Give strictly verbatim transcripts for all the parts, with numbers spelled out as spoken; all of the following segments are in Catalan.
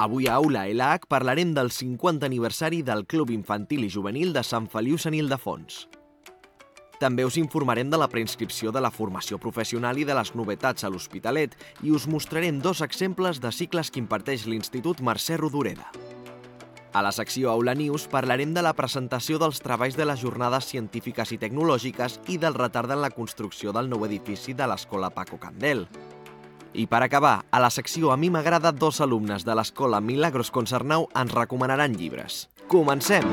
Avui a Aula L H parlarem del cinquanta aniversari del Club Infantil i Juvenil de Sant Feliu Sant Ildefons. També us informarem de la preinscripció de la formació professional i de les novetats a l'Hospitalet i us mostrarem dos exemples de cicles que imparteix l'Institut Mercè Rodoreda. A la secció Aula News parlarem de la presentació dels treballs de les jornades científiques i tecnològiques i del retard en la construcció del nou edifici de l'Escola Paco Candel. I per acabar, a la secció A mi m'agrada, dos alumnes de l'Escola Milagros Concernau ens recomanaran llibres. Comencem!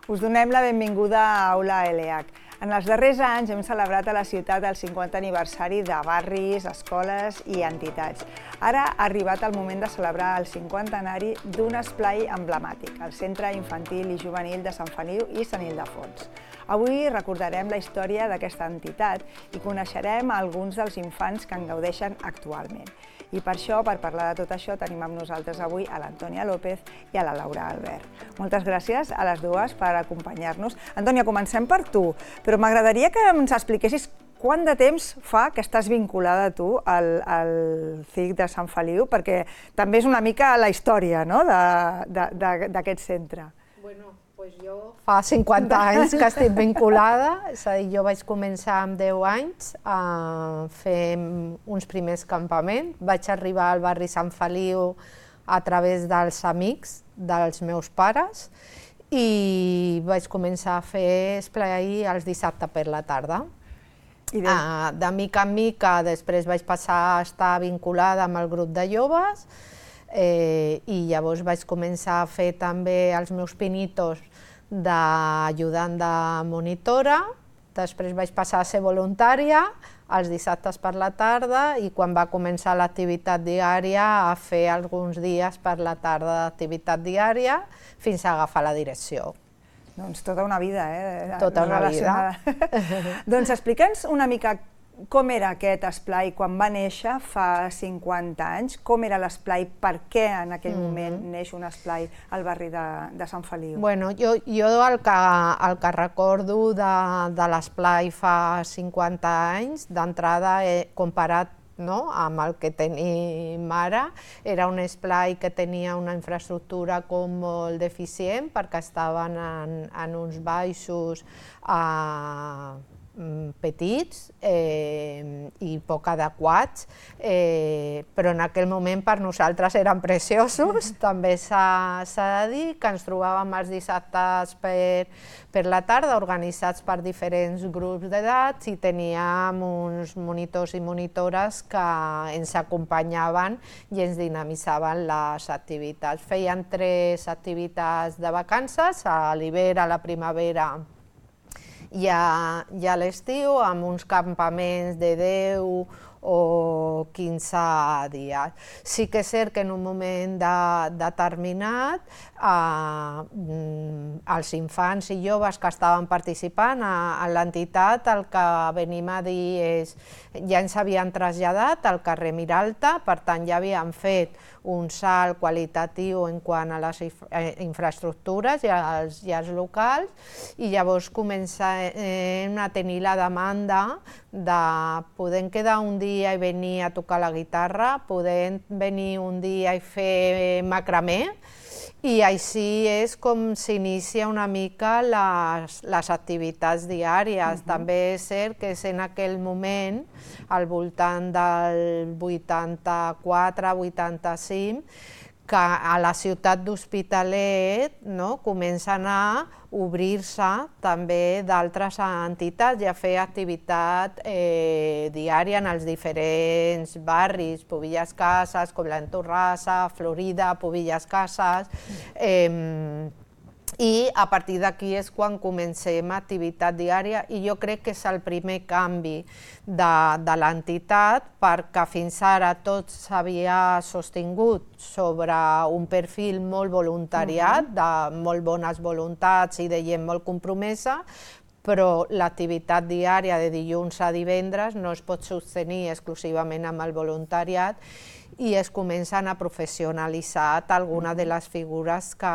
Us donem la benvinguda a Aula L H. En els darrers anys hem celebrat a la ciutat el cinquanta aniversari de barris, escoles i entitats. Ara ha arribat el moment de celebrar el cinquantenari d'un esplai emblemàtic, el Centre Infantil i Juvenil de Sant Feliu i Sant Ildefons. Avui recordarem la història d'aquesta entitat i coneixerem alguns dels infants que en gaudeixen actualment. I per això, per parlar de tot això, tenim amb nosaltres avui a l'Antònia López i a la Laura Albert. Moltes gràcies a les dues per acompanyar-nos. Antònia, comencem per tu, però m'agradaria que ens expliquessis quant de temps fa que estàs vinculada tu al, al C I C de Sant Feliu, perquè també és una mica la història, no?, d'aquest centre. Bueno, pues jo fa cinquanta anys que estic vinculada, és a dir, jo vaig començar amb deu anys a fer uns primers campaments. Vaig arribar al barri Sant Feliu a través dels amics dels meus pares i vaig començar a fer esplai els dissabtes per la tarda. De mica en mica després vaig passar a estar vinculada amb el grup de joves i llavors vaig començar a fer també els meus pinitos d'ajudant de monitora, després vaig passar a ser voluntària els dissabtes per la tarda i quan va començar l'activitat diària a fer alguns dies per la tarda d'activitat diària fins a agafar la direcció. Doncs tota una vida, eh? Tota una vida. Doncs explica'ns una mica com era aquest esplai quan va néixer fa cinquanta anys, com era l'esplai, per què en aquell moment neix un esplai al barri de Sant Feliu? Bueno, jo el que recordo de l'esplai fa cinquanta anys, d'entrada comparat amb el que tenim ara, era un esplai que tenia una infraestructura com molt deficient perquè estaven en uns baixos petits i poc adequats, però en aquell moment per nosaltres eren preciosos. També s'ha de dir que ens trobàvem els dissabtes per la tarda organitzats per diferents grups d'edats i teníem uns monitors i monitores que ens acompanyaven i ens dinamitzaven les activitats. Feien tres activitats de vacances, a l'hivern, a la primavera i a l'estiu, amb uns campaments de deu o quinze dies. Sí que és cert que en un moment determinat els infants i joves que estaven participant a l'entitat el que venim a dir és ja ens havien traslladat al carrer Miralta, per tant ja havien fet un salt qualitatiu en quant a les infraestructures i als locals i llavors comencem a tenir la demanda de poder quedar un dia i venir a tocar la guitarra, poder venir un dia i fer macramé i així és com s'inicia una mica les activitats diàries. També és cert que és en aquell moment, al voltant del vuitanta-quatre vuitanta-cinc, que a la ciutat d'Hospitalet comencen a obrir-se també d'altres entitats i a fer activitat diària en els diferents barris, Pubillas Cases, Coblent Torrassa, Florida, Pubillas Cases, i a partir d'aquí és quan comencem activitat diària i jo crec que és el primer canvi de l'entitat perquè fins ara tot s'havia sostingut sobre un perfil molt voluntariat, de molt bones voluntats i de gent molt compromesa, però l'activitat diària de dilluns a divendres no es pot sostenir exclusivament amb el voluntariat i es comencen a professionalitzar algunes de les figures que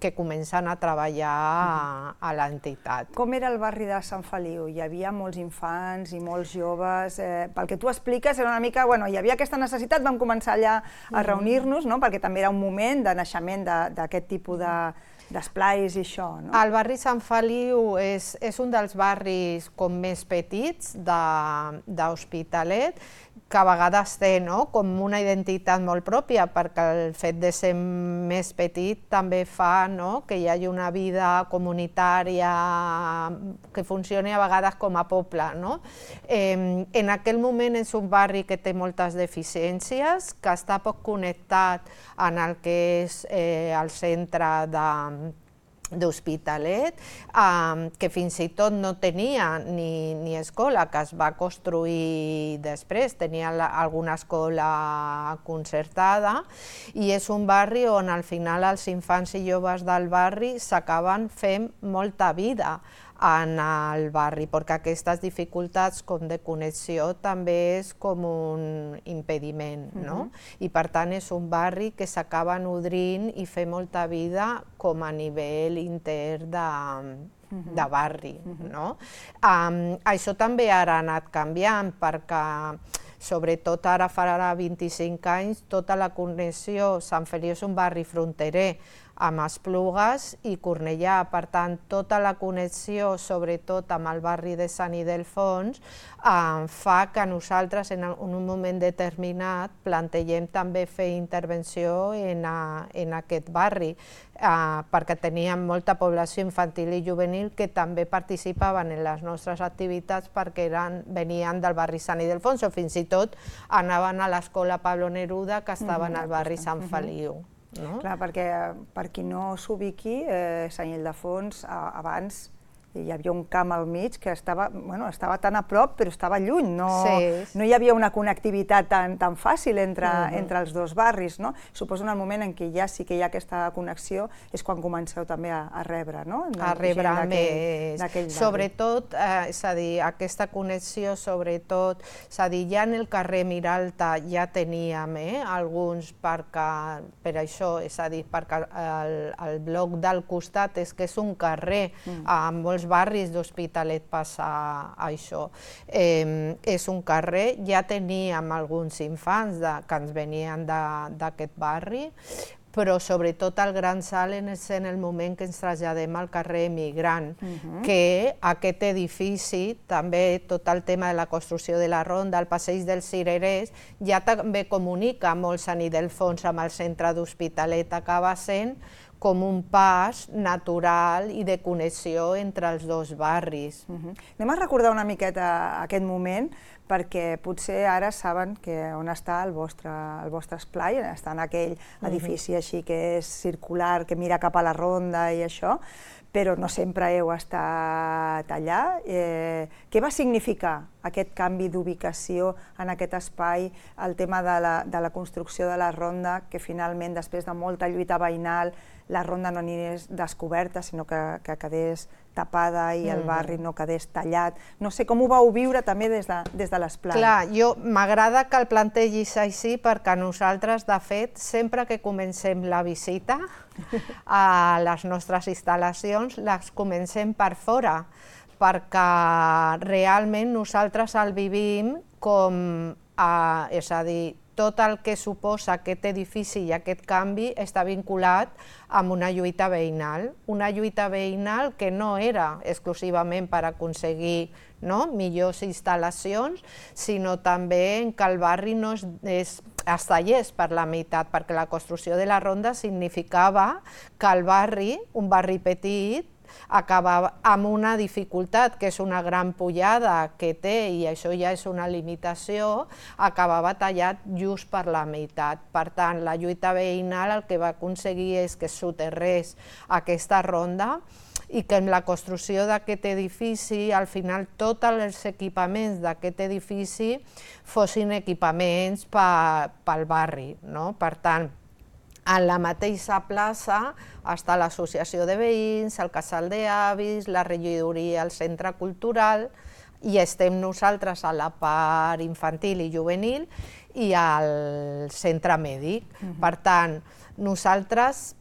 que comencen a treballar a, a l'entitat. Com era el barri de Sant Feliu? Hi havia molts infants i molts joves. Eh, pel que tu expliques, era una mica, bueno, hi havia aquesta necessitat, vam començar allà a reunir-nos, no? Perquè també era un moment de naixement d'aquest tipus de d'esplais i això, no? El barri Sant Feliu és, és un dels barris com més petits d'Hospitalet, que a vegades té, no?, com una identitat molt pròpia, perquè el fet de ser més petit també fa, no?, que hi hagi una vida comunitària que funcioni a vegades com a poble, no? Eh, en aquell moment és un barri que té moltes deficiències, que està poc connectat en el que és eh, el centre de d'Hospitalet, eh, que fins i tot no tenia ni, ni escola, que es va construir després, tenia la, alguna escola concertada, i és un barri on al final els infants i joves del barri s'acaben fent molta vida en el barri, perquè aquestes dificultats com de connexió també és com un impediment, no? I per tant és un barri que s'acaba nodrint i fer molta vida com a nivell intern de, de barri, no? Um, això també ara ha anat canviant, perquè sobretot ara farà vint-i-cinc anys tota la connexió, Sant Feliu és un barri fronterer amb Esplugues i Cornellà, per tant tota la connexió, sobretot amb el barri de Sant Ildefons, eh, fa que nosaltres en un moment determinat plantegem també fer intervenció en, a, en aquest barri, eh, perquè teníem molta població infantil i juvenil que també participaven en les nostres activitats perquè eren, venien del barri Sant Ildefons o fins i tot anaven a l'escola Pablo Neruda, que estava en el barri Sant Feliu. No? Clar, perquè per qui no s'ubiqui, eh, Sant Ildefons abans hi havia un camp al mig que estava, bueno, estava tan a prop però estava lluny, no, sí. no hi havia una connectivitat tan, tan fàcil entre, uh-huh. entre els dos barris, no? Suposo en el moment en què ja sí que hi ha aquesta connexió és quan comenceu també a, a rebre, no? A rebre més, sobretot, eh, és a dir, aquesta connexió sobretot, és a dir, ja en el carrer Miralta ja teníem eh, alguns perquè, per això, és a dir, perquè el, el bloc del costat és que és un carrer uh-huh. amb molts barris d'Hospitalet passa això. Eh, és un carrer, ja teníem alguns infants de, que ens venien d'aquest barri, però sobretot el gran salt és en el moment que ens traslladem al carrer Emigrant, uh-huh. que aquest edifici, també tot el tema de la construcció de la ronda, el passeig dels Cirerers, ja també comunica molt Sant Ildefons amb el centre d'Hospitalet, acaba sent com un pas natural i de connexió entre els dos barris. Uh-huh. Anem a recordar una miqueta aquest moment, perquè potser ara saben que on està el vostre, el vostre esplai, està en aquell edifici així que és circular, que mira cap a la ronda i això, però no sempre heu estat allà. Eh, què va significar aquest canvi d'ubicació en aquest espai, el tema de la, de la construcció de la ronda, que finalment, després de molta lluita veïnal, la ronda no anés descoberta, sinó que, que quedés tapada i el barri no quedés tallat. No sé, com ho vau viure també des de, des de l'esplai? Clar, jo m'agrada que el plantegis així perquè nosaltres, de fet, sempre que comencem la visita a les nostres instal·lacions, les comencem per fora, perquè realment nosaltres el vivim com, a, és a dir, tot el que suposa aquest edifici i aquest canvi està vinculat amb una lluita veïnal, una lluita veïnal que no era exclusivament per aconseguir no, millors instal·lacions, sinó també que el barri no es, es, es tallés per la meitat, perquè la construcció de la ronda significava que el barri, un barri petit, acaba amb una dificultat, que és una gran pujada que té, i això ja és una limitació, acabava tallat just per la meitat. Per tant, la lluita veïnal el que va aconseguir és que soterrés aquesta ronda i que en la construcció d'aquest edifici, al final, tots els equipaments d'aquest edifici fossin equipaments pel barri. Per tant, en la mateixa plaça està l'associació de veïns, el casal d'avis, la regidoria, el centre cultural, i estem nosaltres a la part infantil i juvenil i al centre mèdic. Per tant, nosaltres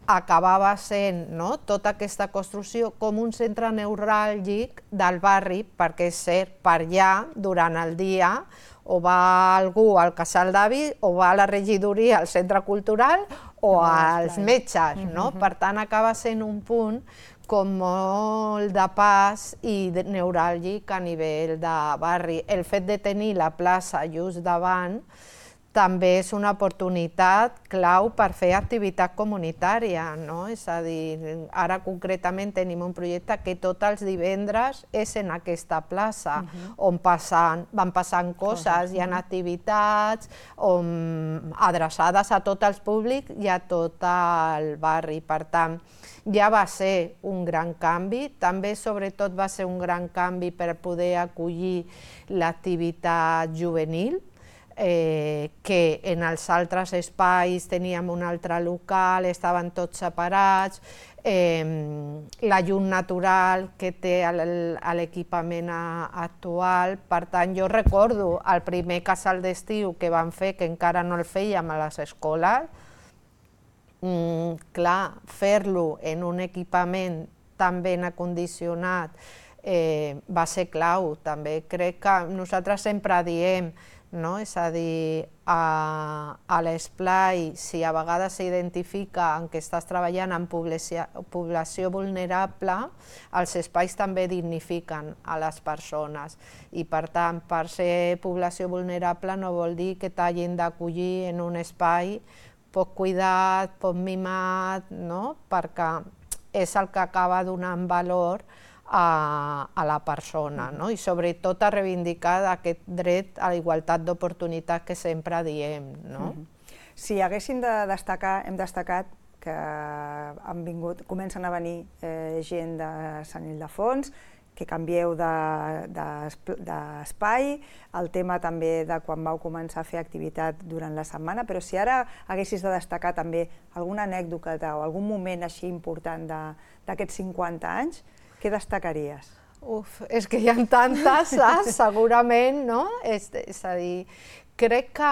acabava sent, no?, tota aquesta construcció com un centre neuràlgic del barri, perquè és cert, per allà, durant el dia, o va algú al casal d'avi, o va a la regidoria, al centre cultural, o als metges, no? Per tant, acaba sent un punt com molt de pas i neuràlgic a nivell de barri. El fet de tenir la plaça just davant també és una oportunitat clau per fer activitat comunitària, no? És a dir, ara concretament tenim un projecte que tots els divendres és en aquesta plaça, on van passant coses, hi ha activitats adreçades a tot el públic i a tot el barri. Per tant, ja va ser un gran canvi, també sobretot va ser un gran canvi per poder acollir l'activitat juvenil, que en els altres espais teníem un altre local, estaven tots separats, la llum natural que té l'equipament actual. Per tant, jo recordo el primer casal d'estiu que vam fer, que encara no el fèiem a les escoles, clar, fer-lo en un equipament tan ben acondicionat va ser clau. També crec que nosaltres sempre diem, és a dir, a l'esplai, si a vegades s'identifica que estàs treballant en població vulnerable, els espais també dignifiquen a les persones i, per tant, per ser població vulnerable no vol dir que t'hagin d'acollir en un espai poc cuidat, poc mimat, perquè és el que acaba donant valor a la persona, i sobretot a reivindicar aquest dret a la igualtat d'oportunitats que sempre diem. Si haguéssim de destacar, hem destacat que han vingut, comencen a venir gent de Sant Ildefons, que canvieu d'espai, el tema també de quan vau començar a fer activitat durant la setmana, però si ara haguessis de destacar també alguna anècdota o algun moment així important d'aquests cinquanta anys, què destacaries? Uf, és que hi ha tantes, segurament, no? És a dir, crec que,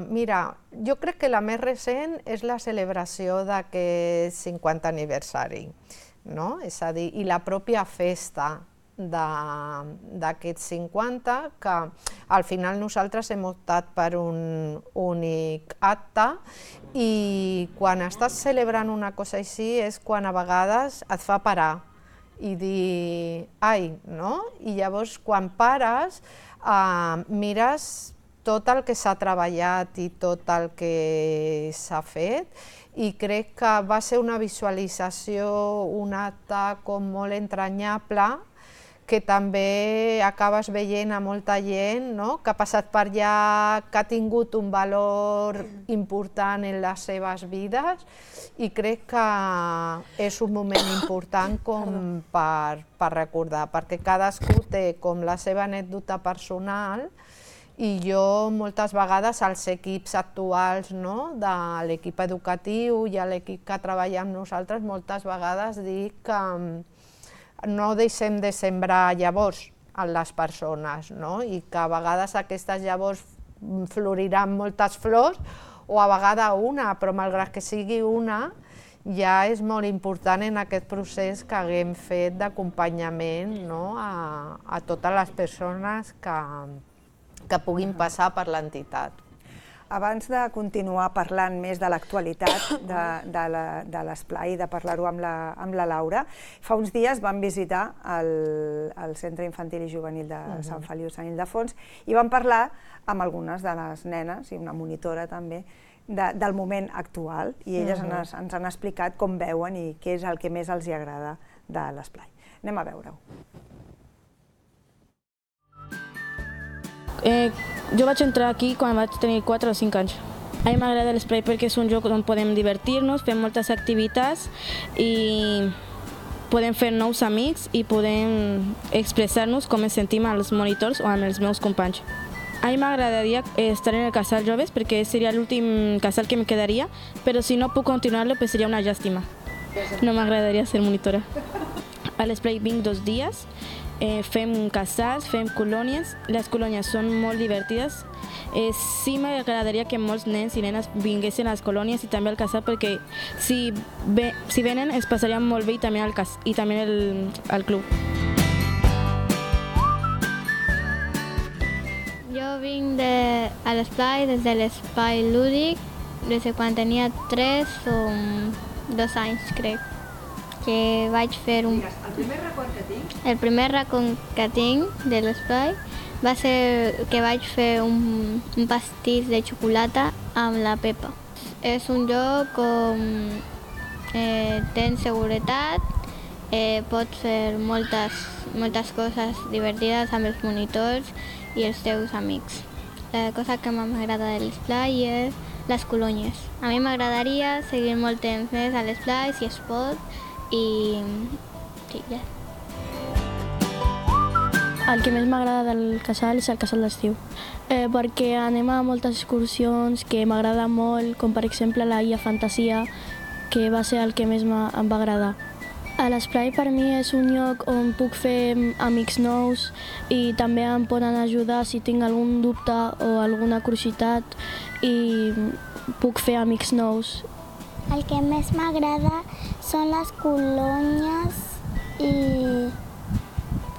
mira, jo crec que la més recent és la celebració d'aquest cinquantè aniversari, no? És a dir, i la pròpia festa d'aquests cinquanta, que al final nosaltres hem optat per un únic acte, i quan estàs celebrant una cosa així és quan a vegades et fa parar i dir, ai, no? I llavors quan pares mires tot el que s'ha treballat i tot el que s'ha fet, i crec que va ser una visualització, un acte com molt entranyable, que també acabes veient a molta gent que ha passat per allà, que ha tingut un valor important en les seves vides, i crec que és un moment important com per recordar, perquè cadascú té com la seva anècdota personal, i jo moltes vegades als equips actuals de l'equip educatiu i a l'equip que treballa amb nosaltres, moltes vegades dic que no deixem de sembrar llavors en les persones, i que a vegades aquestes llavors floriran moltes flors, o a vegades una, però malgrat que sigui una, ja és molt important en aquest procés que haguem fet d'acompanyament a totes les persones que puguin passar per l'entitat. Abans de continuar parlant més de l'actualitat de l'esplai i de parlar-ho amb la Laura, fa uns dies vam visitar el Centre Infantil i Juvenil de Sant Feliu Sant Ildefons i vam parlar amb algunes de les nenes, i una monitora també, del moment actual, i elles ens han explicat com veuen i què és el que més els agrada de l'esplai. Anem a veure-ho. Jo vaig entrar aquí quan vaig tenir quatre o cinc anys. A mi m'agrada l'esplai perquè és un lloc on podem divertir-nos, fem moltes activitats i podem fer nous amics i podem expressar-nos com ens sentim als monitors o amb els meus companys. A mi m'agradaria estar en el casal joves perquè seria l'últim casal que em quedaria, però si no puc continuar-lo seria una llàstima. No m'agradaria ser monitora. A l'esplai vinc dos dies eh, fem casals, fem colònies. Les colònies són molt divertides. Eh, sí m'agradaria que molts nens i nenes vinguessin a les colònies i també al casal, perquè si, ve, si venen es passarien molt bé i també al, cas, i també el, al club. Jo vinc de, a l'esplai des de l'espai lúdic, des de quan tenia tres o dos anys, crec, que vaig fer un... El primer record que tinc? El primer record que tinc de l'esplai va ser que vaig fer un, un pastís de xocolata amb la Pepa. És un lloc on eh, tens seguretat, eh, pots fer moltes, moltes coses divertides amb els monitors i els teus amics. La cosa que m'agrada de l'esplai és les colònies. A mi m'agradaria seguir molt temps més a l'esplai, si es pot, i sí, ja. El que més m'agrada del casal és el casal d'estiu, eh, perquè anem a moltes excursions que m'agrada molt, com per exemple la Illa Fantasia, que va ser el que més em va agradar. A l'esplai per mi és un lloc on puc fer amics nous i també em poden ajudar si tinc algun dubte o alguna curiositat i puc fer amics nous. El que més m'agrada són les colònies i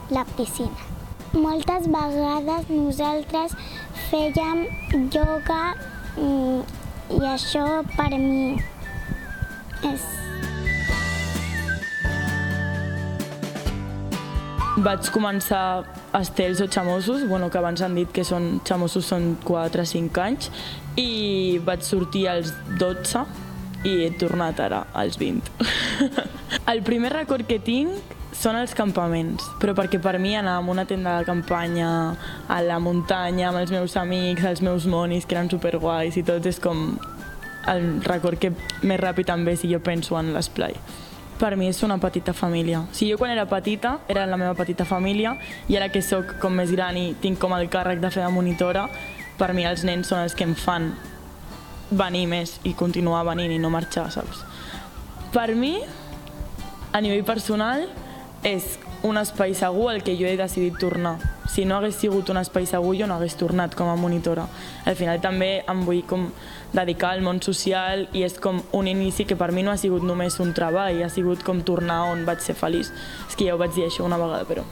la piscina. Moltes vegades nosaltres fèiem ioga i això per mi és... Vaig començar estels o xamossos, bueno, que abans han dit que són xamossos són quatre o cinc anys, i vaig sortir als dotze i he tornat ara als vint. El primer record que tinc són els campaments, però perquè per mi anar a una tenda de campanya, a la muntanya, amb els meus amics, els meus monis, que eren superguais i tot, és com el record que més ràpid em ve si jo penso en l'esplai. Per mi és una petita família. O sigui, jo quan era petita era la meva petita família i ara que sóc com més gran i tinc com el càrrec de fer de monitora, per mi els nens són els que em fan venir més i continuar venint i no marxar, saps? Per mi, a nivell personal, és un espai segur al que jo he decidit tornar. Si no hagués sigut un espai segur, jo no hagués tornat com a monitora. Al final també em vull com dedicar al món social i és com un inici que per mi no ha sigut només un treball, ha sigut com tornar on vaig ser feliç. És que ja ho vaig dir això una vegada, però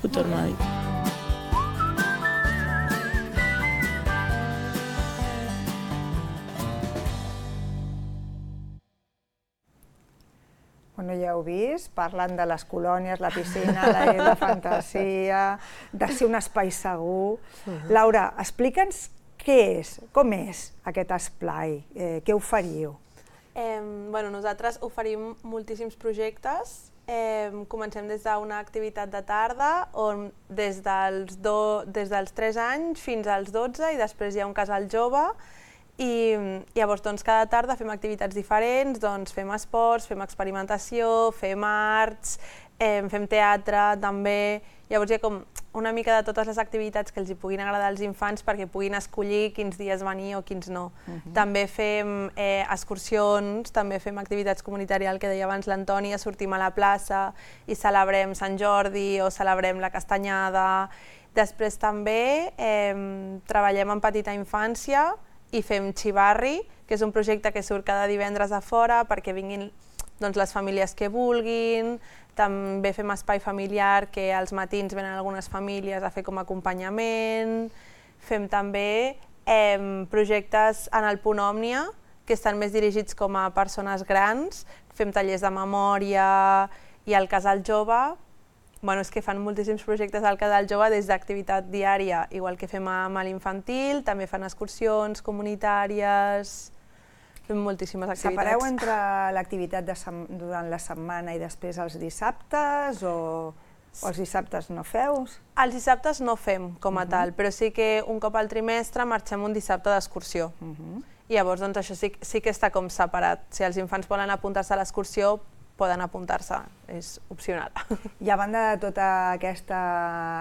ho torno a dir. Bueno, ja heu vist, parlant de les colònies, la piscina, la Illa Fantasia, de ser un espai segur. Laura, explica'ns què és, com és aquest esplai, eh, què oferiu? Eh, bueno, nosaltres oferim moltíssims projectes. Eh, comencem des d'una activitat de tarda on des dels, do, des dels tres anys fins als dotze i després hi ha un casal jove i llavors doncs, cada tarda fem activitats diferents, doncs, fem esports, fem experimentació, fem arts, eh, fem teatre també. Llavors hi ha com una mica de totes les activitats que els hi puguin agradar als infants perquè puguin escollir quins dies venir o quins no. Uh-huh. També fem eh, excursions, també fem activitats comunitàries, el que deia abans l'Antònia, sortim a la plaça i celebrem Sant Jordi o celebrem la Castanyada. Després també eh, treballem en petita infància i fem xivarri, que és un projecte que surt cada divendres a fora perquè vinguin doncs, les famílies que vulguin. També fem espai familiar, que als matins venen algunes famílies a fer com a acompanyament. Fem també eh, projectes en el Punt Òmnia, que estan més dirigits com a persones grans. Fem tallers de memòria i al Casal Jove. Bueno, és que fan moltíssims projectes al Casal Jove des d'activitat diària, igual que fem amb l'infantil, també fan excursions comunitàries. Fem moltíssimes activitats. Separeu entre l'activitat durant la setmana i després els dissabtes o, o els dissabtes no feu? Els dissabtes no fem com a uh-huh. tal, però sí que un cop al trimestre marxem un dissabte d'excursió. Uh-huh. I llavors doncs, això sí, sí que està com separat. Si els infants volen apuntar-se a l'excursió, poden apuntar-se, és opcional. I a banda de tota aquesta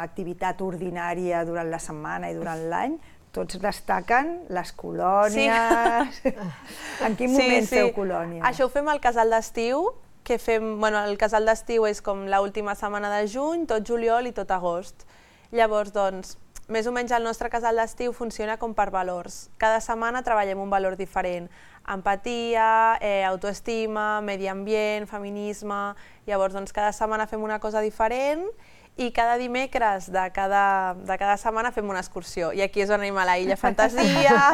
activitat ordinària durant la setmana i durant l'any, tots destaquen les colònies. Sí. En quin moment sí, sí. feu colònia? Això ho fem al casal d'estiu, que fem, bueno, el casal d'estiu és com l'última setmana de juny, tot juliol i tot agost. Llavors, doncs, més o menys el nostre casal d'estiu funciona com per valors. Cada setmana treballem un valor diferent. Empatia, eh, autoestima, medi ambient, feminisme... Llavors, doncs, cada setmana fem una cosa diferent i cada dimecres de cada, de cada setmana fem una excursió. I aquí és on anem a la Illa Fantasia,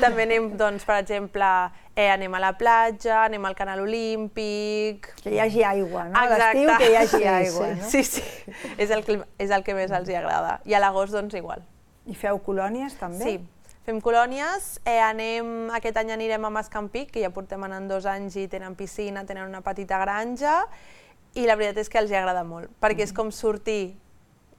també anem, doncs, per exemple, eh, anem a la platja, anem al Canal Olímpic... Que hi hagi aigua, no? A l'estiu que hi hagi aigua, no? Sí, sí, és el que, és el que més els agrada. I a l'agost, doncs, igual. I feu colònies, també? Sí, fem colònies. Eh, anem, aquest any anirem a Mascampic, que ja portem anant dos anys i tenen piscina, tenen una petita granja, i la veritat és que els agrada molt, perquè és com sortir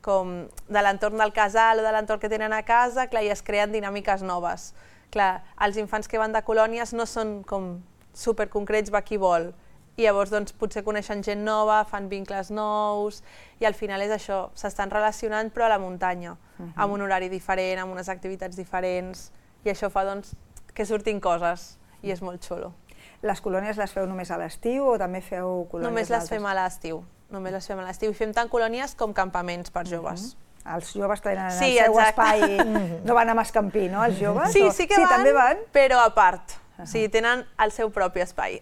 com de l'entorn del casal o de l'entorn que tenen a casa, clar, i es creen dinàmiques noves. Clar, els infants que van de colònies no són com superconcrets, va qui vol, i llavors doncs, potser coneixen gent nova, fan vincles nous, i al final és això, s'estan relacionant però a la muntanya, uh-huh. amb un horari diferent, amb unes activitats diferents, i això fa doncs, que surtin coses, i és molt xulo. Les colònies les feu només a l'estiu o també feu colònies Només les fem a l'estiu. Només les fem a l'estiu. I fem tant colònies com campaments per joves. Uh-huh. Els joves tenen sí, el seu exacte. espai... No van a Mascampí, no, els joves? Sí, o... sí que sí, van, també van, però a part. Uh-huh. O sigui, tenen el seu propi espai.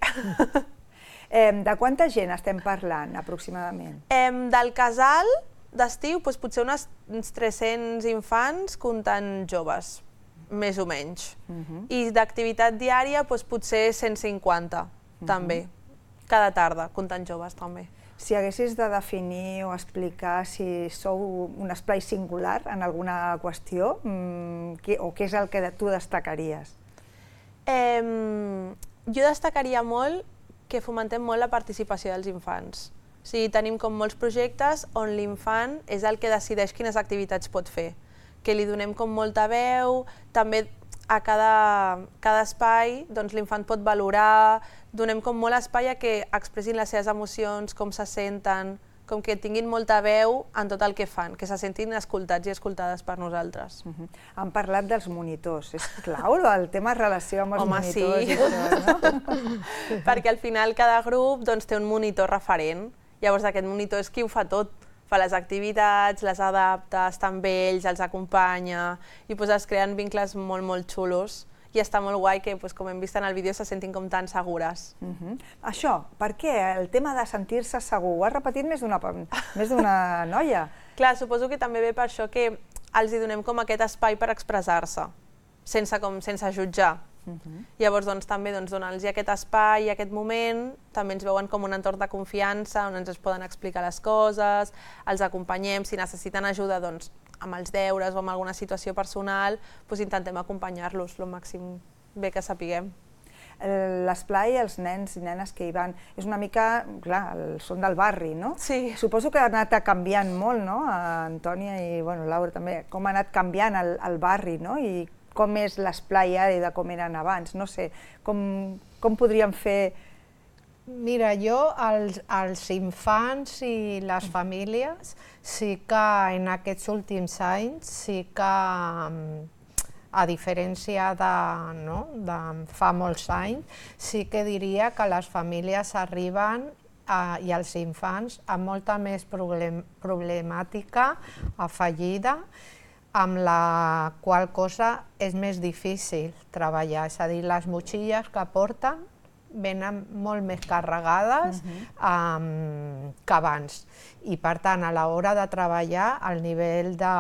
eh, de quanta gent estem parlant, aproximadament? Eh, del casal d'estiu, doncs, potser unes, uns tres-cents infants comptant joves. Més o menys. Uh-huh. I d'activitat diària, doncs, potser cent cinquanta, uh-huh. també, cada tarda, comptant joves també. Si haguessis de definir o explicar si sou un espai singular en alguna qüestió, mmm, què, o què és el que tu destacaries? Eh, jo destacaria molt que fomentem molt la participació dels infants. O sigui, tenim com molts projectes on l'infant és el que decideix quines activitats pot fer, que li donem com molta veu, també a cada, cada espai doncs, l'infant pot valorar, donem com molt espai a que expressin les seves emocions, com se senten, com que tinguin molta veu en tot el que fan, que se sentin escoltats i escoltades per nosaltres. Uh-huh. Han parlat dels monitors, és clau el tema relació amb els Home, monitors sí. i tot, no? Perquè al final cada grup doncs, té un monitor referent, llavors aquest monitor és qui ho fa tot, fa les activitats, les adapta, està amb ells, els acompanya, i doncs, es creen vincles molt, molt xulos, i està molt guai que, doncs, com hem vist en el vídeo, se sentin com tan segures. Uh-huh. Això, per què? El tema de sentir-se segur, ho has repetit més d'una més d'una noia. Clar, suposo que també ve per això que els hi donem com aquest espai per expressar-se, sense, com, sense jutjar. Uh-huh. Llavors, doncs, també doncs, donar-los aquest espai i aquest moment, també ens veuen com un entorn de confiança on ens poden explicar les coses, els acompanyem, si necessiten ajuda doncs, amb els deures o amb alguna situació personal, doncs, intentem acompanyar-los el màxim bé que sapiguem. L'esplai, els nens i nenes que hi van, és una mica, clar, són del barri, no? Sí. Suposo que ha anat canviant molt, no? Antònia i bueno, Laura també, com ha anat canviant el, el barri, no? I com és l'esplai ara i de com eren abans, no sé, com, com podríem fer... Mira, jo, els, els infants i les famílies, sí que en aquests últims anys, sí que, a diferència de, no, de fa molts anys, sí que diria que les famílies arriben a, i els infants amb molta més problem, problemàtica afegida, amb la qual cosa és més difícil treballar, és a dir, les motxilles que porten venen molt més carregades uh-huh. um, que abans. I per tant, a l'hora de treballar, el nivell de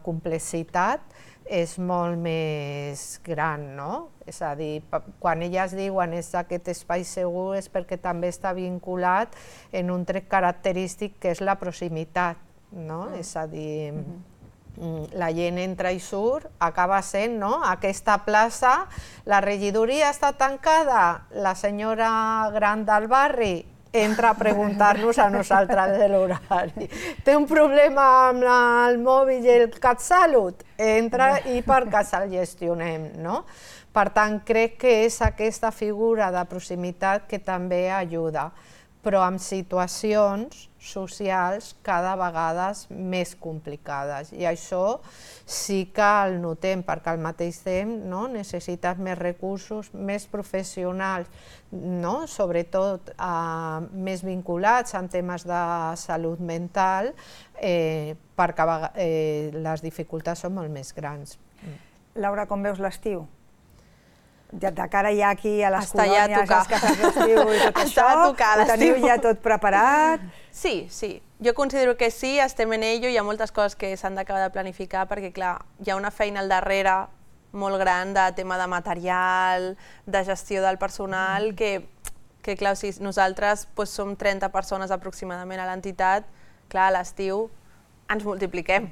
complexitat és molt més gran, no? És a dir, quan elles diuen és aquest espai segur és perquè també està vinculat en un tret característic que és la proximitat, no? Uh-huh. És a dir, uh-huh. la gent entra i surt, acaba sent, no? Aquesta plaça, la regidoria està tancada, la senyora gran del barri entra a preguntar-nos a nosaltres de l'horari. Té un problema amb el mòbil i el CatSalut, entra i per casa el gestionem, no? Per tant, crec que és aquesta figura de proximitat que també ajuda. però amb situacions socials cada vegada més complicades. I això sí que el notem, perquè al mateix temps no, necessites més recursos, més professionals, no, sobretot eh, més vinculats en temes de salut mental, eh, perquè eh, les dificultats són molt més grans. Laura, com veus l'estiu? De cara ja aquí a les Està ja a colònies, tocar. als cases d'estiu i tot Està això, a tocar ho l'estiu. teniu ja tot preparat? Sí, sí. Jo considero que sí, estem en ello, hi ha moltes coses que s'han d'acabar de planificar perquè, clar, hi ha una feina al darrere molt gran de tema de material, de gestió del personal, que, que clar, si nosaltres doncs, som trenta persones aproximadament a l'entitat, clar, a l'estiu ens multipliquem.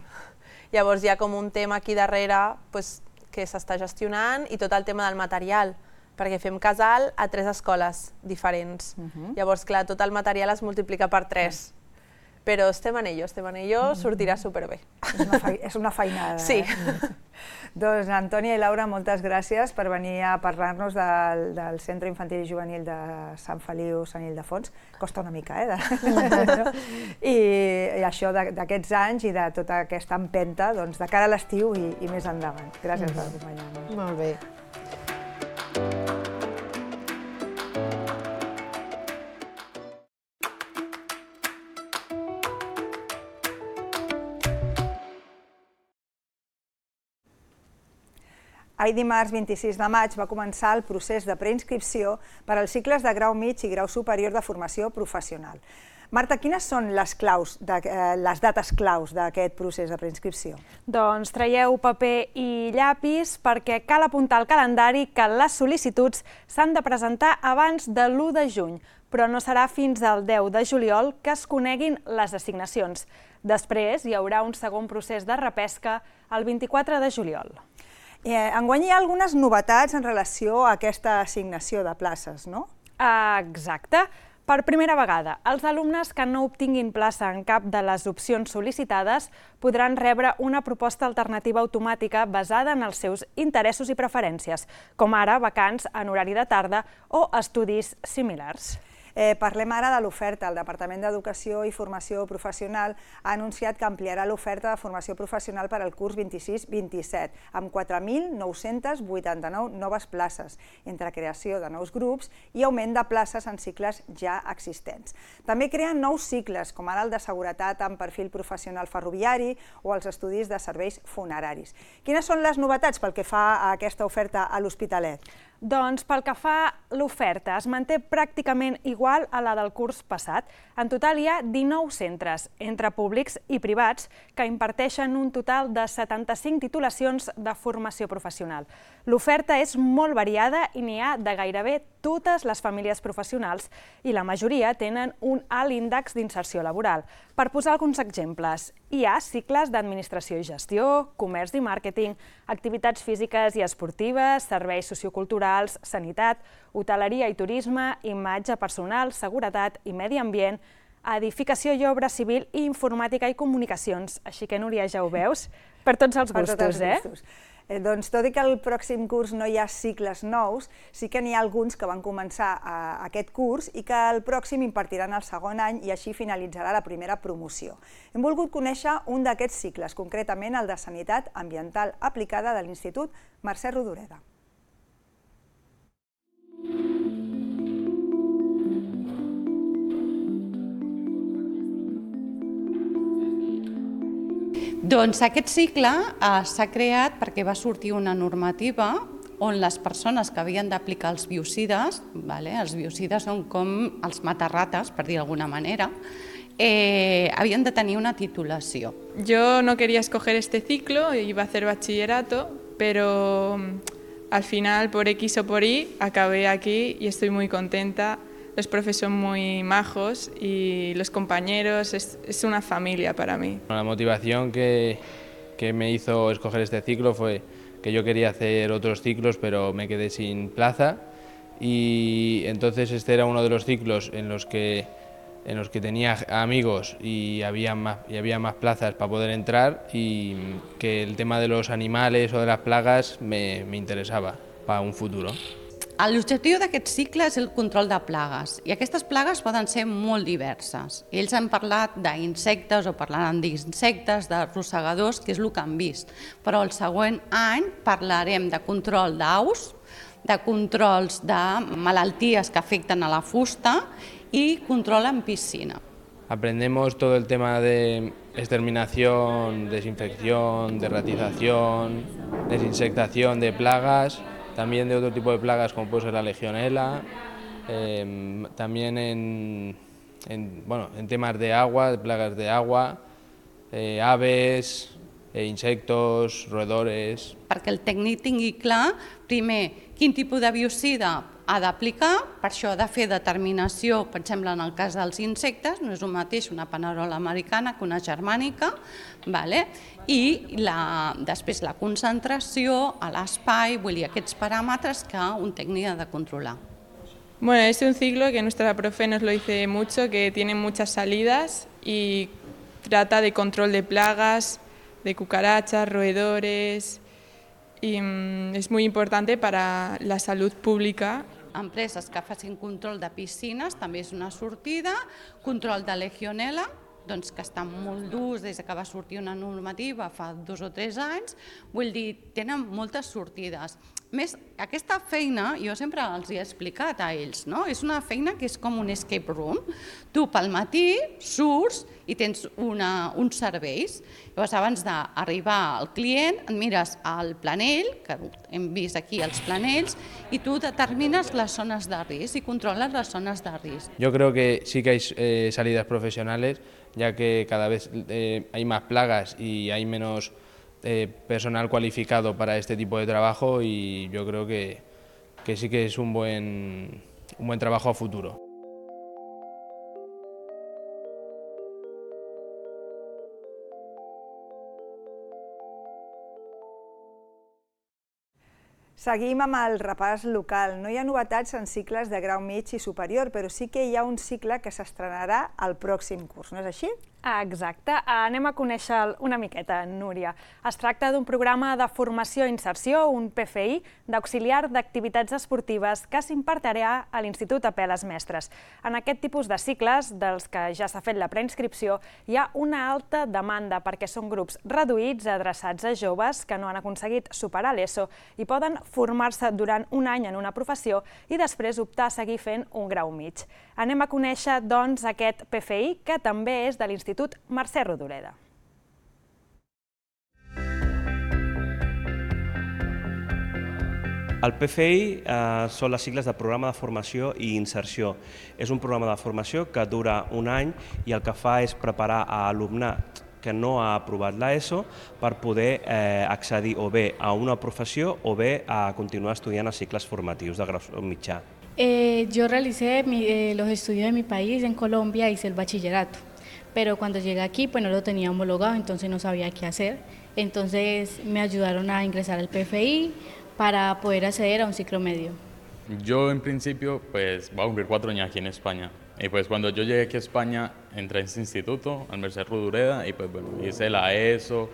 Llavors hi ha com un tema aquí darrere doncs, que s'està gestionant i tot el tema del material, perquè fem casal a tres escoles diferents. Uh-huh. Llavors, clar, tot el material es multiplica per tres. Però estem en ello, estem en ello, sortirà superbé. És una, fe... és una feinada. Sí. Eh? Doncs Antònia i Laura, moltes gràcies per venir a parlar-nos del, del Centre Infantil i Juvenil de Sant Feliu, Sant Ildefons. Costa una mica, eh? De... I, I això d'aquests anys i de tota aquesta empenta doncs, de cara a l'estiu i, i més endavant. Gràcies per acompanyar-nos. Molt bé. Ahir dimarts vint-i-sis de maig va començar el procés de preinscripció per als cicles de grau mig i grau superior de formació professional. Marta, quines són les, claus de, eh, les dates claus d'aquest procés de preinscripció? Doncs traieu paper i llapis perquè cal apuntar al calendari que les sol·licituds s'han de presentar abans de l'u de juny, però no serà fins al deu de juliol que es coneguin les assignacions. Després hi haurà un segon procés de repesca el vint-i-quatre de juliol. Eh, enguany hi ha algunes novetats en relació a aquesta assignació de places, no? Exacte. Per primera vegada, els alumnes que no obtinguin plaça en cap de les opcions sol·licitades podran rebre una proposta alternativa automàtica basada en els seus interessos i preferències, com ara vacants en horari de tarda o estudis similars. Eh, parlem ara de l'oferta. El Departament d'Educació i Formació Professional ha anunciat que ampliarà l'oferta de formació professional per al curs vint-i-sis vint-i-set, amb quatre mil nou-cents vuitanta-nou noves places, entre creació de nous grups i augment de places en cicles ja existents. També creen nous cicles, com ara el de seguretat amb perfil professional ferroviari o els estudis de serveis funeraris. Quines són les novetats pel que fa a aquesta oferta a l'Hospitalet? Doncs pel que fa a l'oferta, es manté pràcticament igual a la del curs passat. En total hi ha dinou centres, entre públics i privats, que imparteixen un total de setanta-cinc titulacions de formació professional. L'oferta és molt variada i n'hi ha de gairebé totes les famílies professionals i la majoria tenen un alt índex d'inserció laboral. Per posar alguns exemples, hi ha cicles d'administració i gestió, comerç i màrqueting, activitats físiques i esportives, serveis socioculturals, sanitat, hoteleria i turisme, imatge personal, seguretat i medi ambient, edificació i obra civil i informàtica i comunicacions. Així que, Núria, ja ho veus, per tots els gustos, eh? Eh, doncs, tot i que al pròxim curs no hi ha cicles nous, sí que n'hi ha alguns que van començar a, aquest curs i que el pròxim impartiran el segon any i així finalitzarà la primera promoció. Hem volgut conèixer un d'aquests cicles, concretament el de Sanitat Ambiental Aplicada de l'Institut Mercè Rodoreda. Doncs aquest cicle eh, s'ha creat perquè va sortir una normativa on les persones que havien d'aplicar els biocides, vale, els biocides són com els matarrates, per dir d'alguna manera, eh, havien de tenir una titulació. Yo no quería escoger este ciclo, iba a hacer bachillerato, pero al final, por X o por Y, acabé aquí y estoy muy contenta. Los profes son muy majos y los compañeros, es, es una familia para mí. La motivación que, que me hizo escoger este ciclo fue que yo quería hacer otros ciclos, pero me quedé sin plaza, y entonces este era uno de los ciclos en los que, en los que tenía amigos y había, más, y había más plazas para poder entrar, y que el tema de los animales o de las plagas me, me interesaba para un futuro. L'objectiu d'aquest cicle és el control de plagues i aquestes plagues poden ser molt diverses. Ells han parlat d'insectes o parlaran d'insectes, de rosegadors, que és el que han vist. Però el següent any parlarem de control d'aus, de controls de malalties que afecten a la fusta y control en piscina. Aprendemos todo el tema de exterminación, desinfección, derratización, desinsectación de plagas, también de otro tipo de plagas como puede ser la legionela, eh, también en, en, bueno, en temas de agua, de plagas de agua, eh, aves, eh, insectos, roedores. Perquè el tècnic tingui clar, primer, quin tipus de biocida ha d'aplicar, per això ha de fer determinació, per exemple, en el cas dels insectes, no és el mateix una panerola americana que una germànica, vale? I la, després la concentració a l'espai, vull dir, aquests paràmetres que un tècnic ha de controlar. Bueno, es un ciclo que nuestra profe nos lo dice mucho, que tiene muchas salidas y trata de control de plagas, de cucarachas, roedores, y mmm, es muy importante para la salud pública. Empreses que facin control de piscines també és una sortida, control de legionela, doncs que estan molt durs des que va sortir una normativa fa dos o tres anys, vull dir, tenen moltes sortides. Més, aquesta feina, jo sempre els he explicat a ells, no? És una feina que és com un escape room. Tu pel matí surts i tens una, uns serveis. Llavors, abans d'arribar al client, et mires al planell, que hem vist aquí els planells, i tu determines les zones de risc i controles les zones de risc. Yo creo que sí que hay eh, salidas profesionales, ya que cada vez eh, hay más plagas y hay menos eh, personal cualificado para este tipo de trabajo, y yo creo que, que sí que es un buen, un buen trabajo a futuro. Seguim amb el repàs local. No hi ha novetats en cicles de grau mig i superior, però sí que hi ha un cicle que s'estrenarà al pròxim curs, no és així? Exacte. Anem a conèixer una miqueta, Núria. Es tracta d'un programa de formació i inserció, un P F I, d'auxiliar d'activitats esportives que s'impartirà a l'Institut Apel·les Mestres. En aquest tipus de cicles, dels que ja s'ha fet la preinscripció, hi ha una alta demanda perquè són grups reduïts adreçats a joves que no han aconseguit superar l'ESO i poden formar-se durant un any en una professió i després optar a seguir fent un grau mig. Anem a conèixer, doncs, aquest P F I, que també és de l'Institut Mercè Rodoreda. El P F I eh, són les sigles de Programa de Formació i Inserció. És un programa de formació que dura un any i el que fa és preparar a alumnat que no ha aprovat l'ESO per poder eh, accedir o bé a una professió o bé a continuar estudiant a cicles formatius de grau mitjà. Eh, yo realicé mi, eh, los estudios de mi país, en Colombia, hice el bachillerato, pero cuando llegué aquí pues no lo tenía homologado, entonces no sabía qué hacer. Entonces me ayudaron a ingresar al P F I para poder acceder a un ciclo medio. Yo en principio pues voy a cumplir cuatro años aquí en España. Y pues cuando yo llegué aquí a España entré en este instituto, al Mercè Rodoreda, y pues bueno, hice la ESO,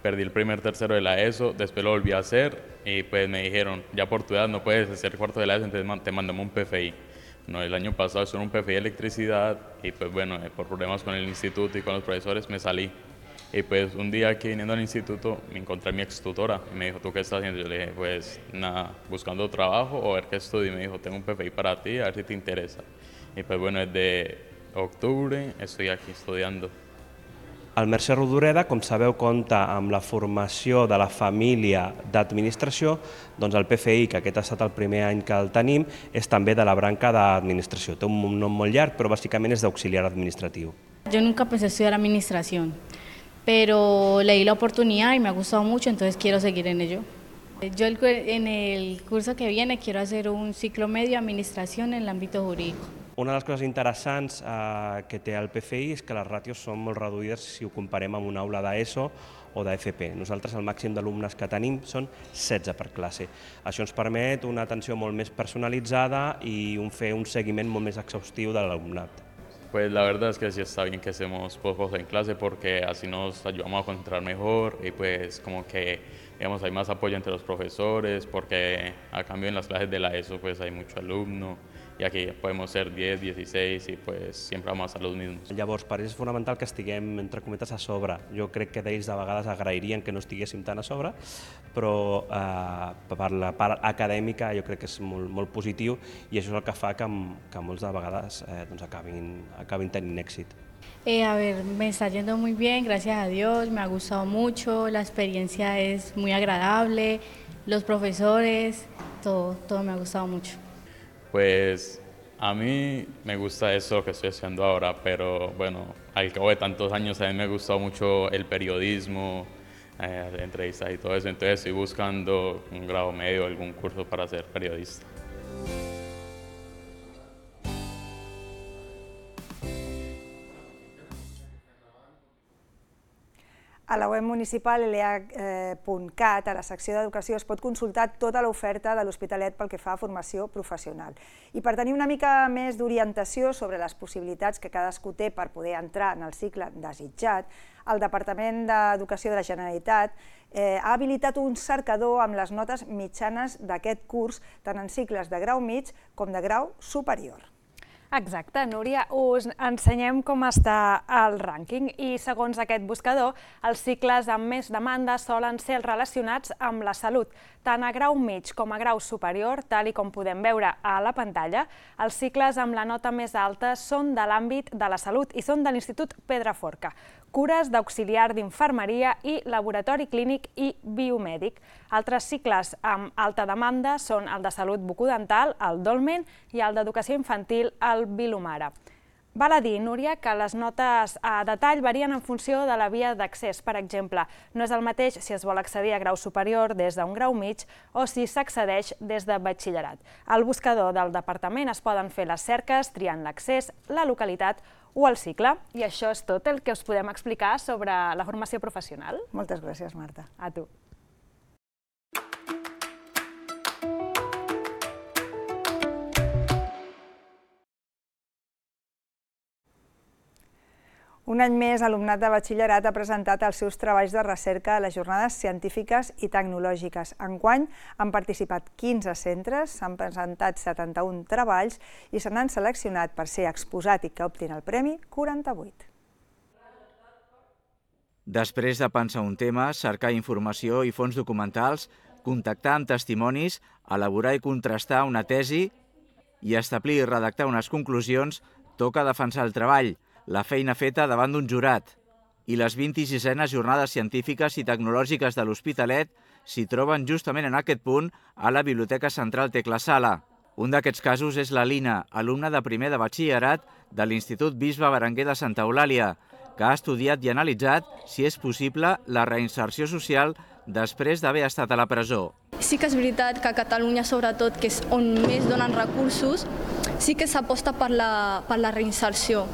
perdí el primer tercero de la ESO, después lo volví a hacer y pues me dijeron, ya por tu edad no puedes hacer cuarto de la ESO, entonces te mandamos un P F I. No, el año pasado estuve en un P F I de electricidad y pues bueno, por problemas con el instituto y con los profesores me salí. Y pues un día aquí viniendo al instituto me encontré a mi ex tutora y me dijo, ¿tú qué estás haciendo? Yo le dije, pues nada, buscando trabajo o a ver qué estudio. Y me dijo, tengo un P F I para ti, a ver si te interesa. Y pues bueno, desde octubre estoy aquí estudiando. El Mercè Rodoreda, com sabeu, compta amb la formació de la família d'administració, doncs el P F I, que aquest ha estat el primer any que el tenim, és també de la branca d'administració. Té un nom molt llarg, però bàsicament és d'auxiliar administratiu. Yo nunca pensé estudiar administración, pero leí la oportunidad y me ha gustado mucho, entonces quiero seguir en ello. Yo en el curso que viene quiero hacer un ciclo medio administración en el ámbito jurídico. Una de les coses interessants eh, que té el P F I és que les ràtios són molt reduïdes si ho comparem amb una aula d'ESO o d'F P. Nosaltres el màxim d'alumnes que tenim són setze per classe. Això ens permet una atenció molt més personalitzada i un fer un seguiment molt més exhaustiu de l'alumnat. Pues la verdad es que sí está bien que estemos pocos en clase porque así nos ayudamos a concentrar mejor y pues como que digamos, hay más apoyo entre los profesores porque a cambio en las clases de la ESO pues hay mucho alumno i aquí podem ser diez, dieciséis i pues sempre vamos a estar los mismos. Llavors, per ells és fonamental que estiguem, entre cometes, a sobre. Jo crec que d'ells de vegades agrairien que no estiguéssim tan a sobre, però eh, per la part acadèmica jo crec que és molt, molt positiu i això és el que fa que, que molts de vegades eh, doncs acabin, acabin tenint èxit. Eh, a ver, me está yendo muy bien, gracias a Dios, me ha gustado mucho, la experiencia es muy agradable, los profesores, todo, todo me ha gustado mucho. Pues a mí me gusta eso que estoy haciendo ahora, pero bueno, al cabo de tantos años a mí me ha gustado mucho el periodismo, eh, entrevistas y todo eso, entonces estoy buscando un grado medio, algún curso para ser periodista. A la web municipal L H punt cat, a la secció d'Educació, es pot consultar tota l'oferta de l'Hospitalet pel que fa a formació professional. I per tenir una mica més d'orientació sobre les possibilitats que cadascú té per poder entrar en el cicle desitjat, el Departament d'Educació de la Generalitat eh, ha habilitat un cercador amb les notes mitjanes d'aquest curs, tant en cicles de grau mig com de grau superior. Exacte, Núria, us ensenyem com està el rànquing i segons aquest buscador, els cicles amb més demanda solen ser els relacionats amb la salut. Tant a grau mig com a grau superior, tal i com podem veure a la pantalla, els cicles amb la nota més alta són de l'àmbit de la salut i són de l'Institut Pedraforca, cures d'auxiliar d'infermeria i laboratori clínic i biomèdic. Altres cicles amb alta demanda són el de salut bucodental, el Dolmen, i el d'educació infantil, el Vilomara. Val a dir, Núria, que les notes a detall varien en funció de la via d'accés. Per exemple, no és el mateix si es vol accedir a grau superior des d'un grau mig o si s'accedeix des de batxillerat. Al buscador del departament es poden fer les cerques triant l'accés, la localitat o el cicle. I això és tot el que us podem explicar sobre la formació professional. Moltes gràcies, Marta. A tu. Un any més, l'alumnat de batxillerat ha presentat els seus treballs de recerca a les jornades científiques i tecnològiques. Enguany han participat quinze centres, s'han presentat setanta-un treballs i se n'han seleccionat per ser exposat i que optin el premi quaranta-vuit. Després de pensar un tema, cercar informació i fons documentals, contactar amb testimonis, elaborar i contrastar una tesi i establir i redactar unes conclusions, toca defensar el treball, la feina feta davant d'un jurat. I les vint-i-sisenes jornades científiques i tecnològiques de l'Hospitalet s'hi troben justament en aquest punt a la Biblioteca Central Tecla Sala. Un d'aquests casos és la Lina, alumna de primer de batxillerat de l'Institut Bisbe Berenguer de Santa Eulàlia, que ha estudiat i analitzat si és possible la reinserció social després d'haver estat a la presó. Sí que és veritat que a Catalunya, sobretot, que és on més donen recursos, sí que s'aposta per la, per la reinserció.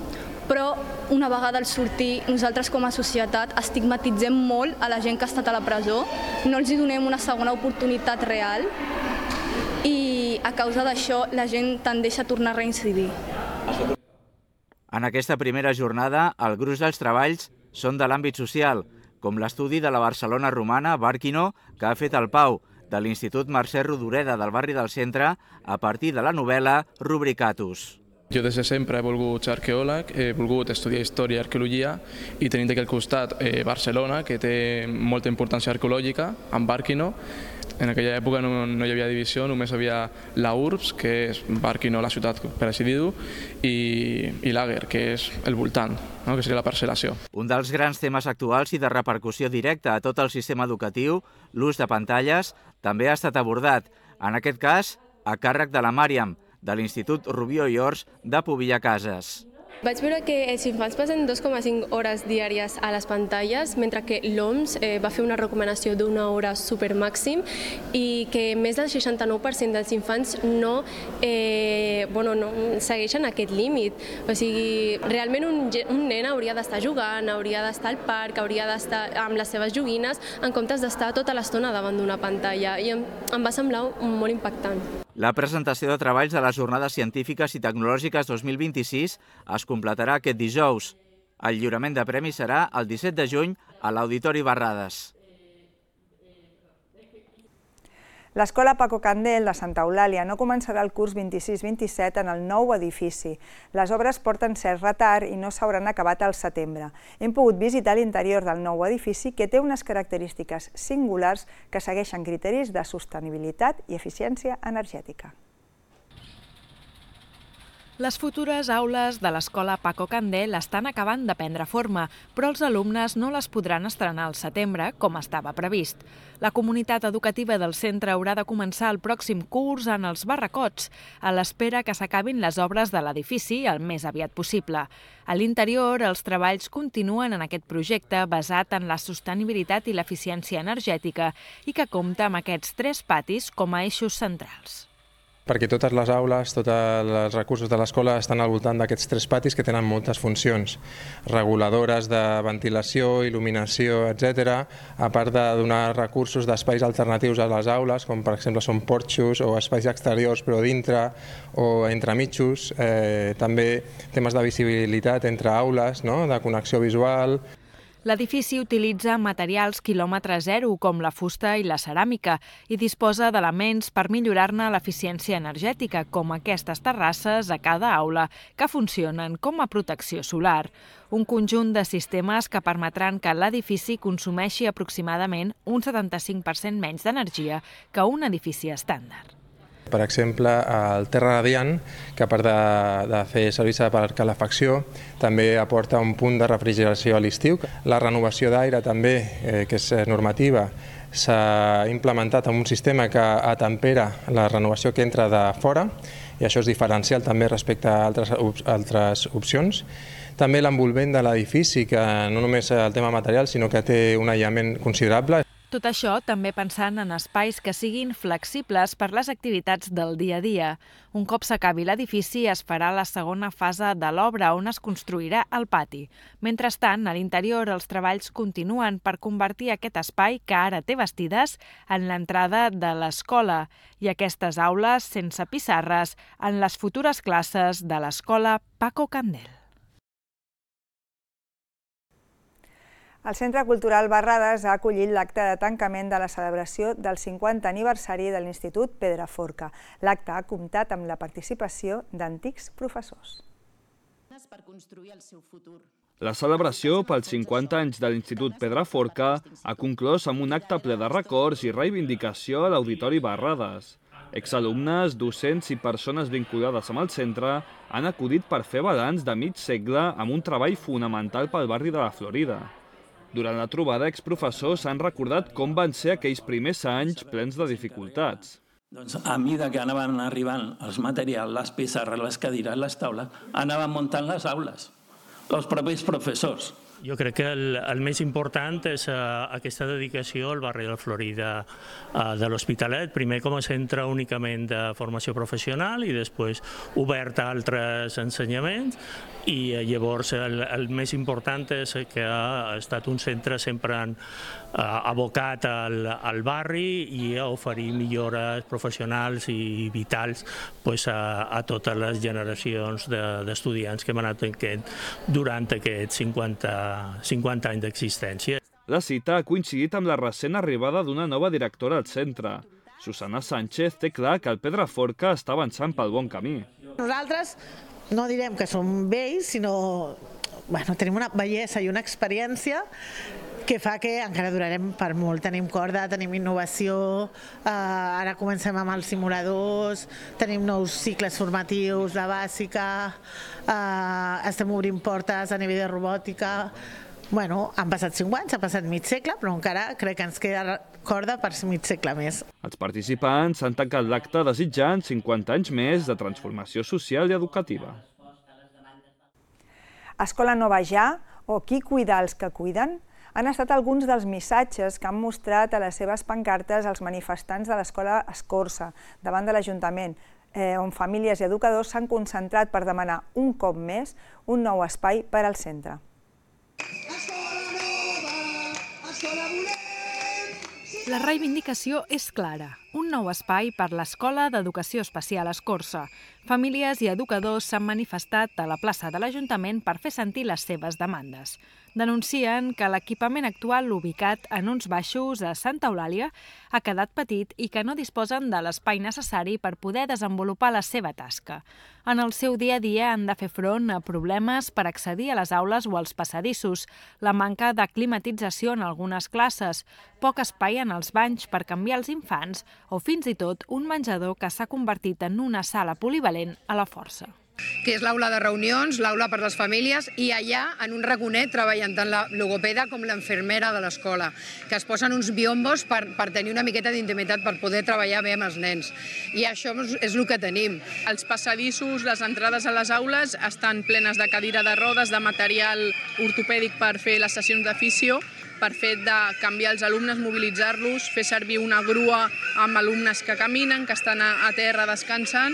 Però una vegada al sortir, nosaltres com a societat estigmatitzem molt a la gent que ha estat a la presó, no els donem una segona oportunitat real i a causa d'això la gent tendeix a tornar a reincidir. En aquesta primera jornada, el gruix dels treballs són de l'àmbit social, com l'estudi de la Barcelona romana, Bàrquino, que ha fet el Pau, de l'Institut Mercè Rodoreda del barri del Centre, a partir de la novel·la Rubricatus. Jo des de sempre he volgut ser arqueòleg, he volgut estudiar història i arqueologia i tenint aquí al costat eh, Barcelona, que té molta importància arqueològica, amb Bàrquino. En aquella època no, no hi havia divisió, només hi havia la Urbs, que és Bàrquino, la ciutat, per així dir-ho, i, i l'Àger, que és el voltant, no? Que seria la parcel·lació. Un dels grans temes actuals i de repercussió directa a tot el sistema educatiu, l'ús de pantalles, també ha estat abordat, en aquest cas, a càrrec de la Màriam, de l'Institut Rubió i Ors de Pobilla Cases. Vaig veure que els infants passen dos coma cinc hores diàries a les pantalles, mentre que l'O M S eh, va fer una recomanació d'una hora supermàxim i que més del seixanta-nou per cent dels infants no, eh, bueno, no segueixen aquest límit. O sigui, realment un, un nen hauria d'estar jugant, hauria d'estar al parc, hauria d'estar amb les seves joguines, en comptes d'estar tota l'estona davant d'una pantalla. I em, em va semblar molt impactant. La presentació de treballs de les Jornades Científiques i Tecnològiques dos mil vint-i-sis es completarà aquest dijous. El lliurament de premis serà el disset de juny a l'Auditori Barrades. L'Escola Paco Candel de Santa Eulàlia no començarà el curs vint-i-sis vint-i-set en el nou edifici. Les obres porten cert retard i no s'hauran acabat al setembre. Hem pogut visitar l'interior del nou edifici, que té unes característiques singulars que segueixen criteris de sostenibilitat i eficiència energètica. Les futures aules de l'Escola Paco Candel estan acabant de prendre forma, però els alumnes no les podran estrenar al setembre, com estava previst. La comunitat educativa del centre haurà de començar el pròxim curs en els barracots, a l'espera que s'acabin les obres de l'edifici el més aviat possible. A l'interior, els treballs continuen en aquest projecte basat en la sostenibilitat i l'eficiència energètica i que compta amb aquests tres patis com a eixos centrals. Perquè totes les aules, tots els recursos de l'escola estan al voltant d'aquests tres patis que tenen moltes funcions, reguladores de ventilació, il·luminació, etcètera, a part de donar recursos d'espais alternatius a les aules, com per exemple són porxos o espais exteriors però dintre o entremitjos, eh, també temes de visibilitat entre aules, no? De connexió visual. L'edifici utilitza materials quilòmetre zero, com la fusta i la ceràmica, i disposa d'elements per millorar-ne l'eficiència energètica, com aquestes terrasses a cada aula, que funcionen com a protecció solar. Un conjunt de sistemes que permetran que l'edifici consumeixi aproximadament un setanta-cinc per cent menys d'energia que un edifici estàndard. Per exemple, el Terra Radiant, que a part de, de fer servir per calefacció, també aporta un punt de refrigeració a l'estiu. La renovació d'aire també, eh, que és normativa, s'ha implementat en un sistema que atempera la renovació que entra de fora, i això és diferencial també respecte a altres, altres opcions. També l'envolvent de l'edifici, que no només el tema material, sinó que té un aïllament considerable. Tot això també pensant en espais que siguin flexibles per les activitats del dia a dia. Un cop s'acabi l'edifici es farà la segona fase de l'obra, on es construirà el pati. Mentrestant, a l'interior els treballs continuen per convertir aquest espai, que ara té bastides, en l'entrada de l'escola i aquestes aules sense pissarres en les futures classes de l'Escola Paco Candel. El Centre Cultural Barrades ha acollit l'acte de tancament de la celebració del cinquantè aniversari de l'Institut Pedraforca. L'acte ha comptat amb la participació d'antics professors. La celebració pels cinquanta anys de l'Institut Pedraforca ha conclòs amb un acte ple de records i reivindicació a l'Auditori Barrades. Exalumnes, docents i persones vinculades amb el centre han acudit per fer balanç de mig segle amb un treball fonamental pel barri de la Florida. Durant la trobada, exprofessors han recordat com van ser aquells primers anys plens de dificultats. Doncs a mesura que anaven arribant els materials, les pissarres, les cadires, les taules, anaven muntant les aules, els propis professors. Jo crec que el, el més important és uh, aquesta dedicació al barri de la Florida uh, de l'Hospitalet, primer com a centre únicament de formació professional i després obert a altres ensenyaments, i uh, llavors el, el més important és que ha estat un centre sempre uh, abocat al, al barri i a oferir millores professionals i vitals pues, a, a totes les generacions d'estudiants de, que hem anat tenint durant aquests cinquanta cinquanta anys d'existència. La cita ha coincidit amb la recent arribada d'una nova directora al centre. Susana Sánchez té clar que el Pedraforca està avançant pel bon camí. Nosaltres no direm que som vells, sinó bueno, tenim una bellesa i una experiència que fa que encara durarem per molt. Tenim corda, tenim innovació, eh, ara comencem amb els simuladors, tenim nous cicles formatius de bàsica, eh, estem obrint portes a nivell de robòtica. Bueno, han passat cinc anys, ha passat mig segle, però encara crec que ens queda corda per mig segle més. Els participants han tancat l'acte desitjant cinquanta anys més de transformació social i educativa. Escola Nova Ja o Qui cuida els que cuiden han estat alguns dels missatges que han mostrat a les seves pancartes els manifestants de l'Escola Escorça davant de l'Ajuntament, eh, on famílies i educadors s'han concentrat per demanar un cop més un nou espai per al centre. Escola nova, escola volem, sí La reivindicació és clara. Un nou espai per l'Escola d'Educació Especial Escorça. Famílies i educadors s'han manifestat a la plaça de l'Ajuntament per fer sentir les seves demandes. Denuncien que l'equipament actual ubicat en uns baixos a Santa Eulàlia ha quedat petit i que no disposen de l'espai necessari per poder desenvolupar la seva tasca. En el seu dia a dia han de fer front a problemes per accedir a les aules o als passadissos, la manca de climatització en algunes classes, poc espai en els banys per canviar els infants o fins i tot un menjador que s'ha convertit en una sala polivalent a la força. Que és l'aula de reunions, l'aula per les famílies, i allà, en un raconet, treballen tant la logopeda com l'infermera de l'escola, que es posen uns biombos per, per tenir una miqueta d'intimitat, per poder treballar bé amb els nens. I això és el que tenim. Els passadissos, les entrades a les aules estan plenes de cadira de rodes, de material ortopèdic per fer les sessions de fisio, per fet de canviar els alumnes, mobilitzar-los, fer servir una grua amb alumnes que caminen, que estan a, a terra descansant.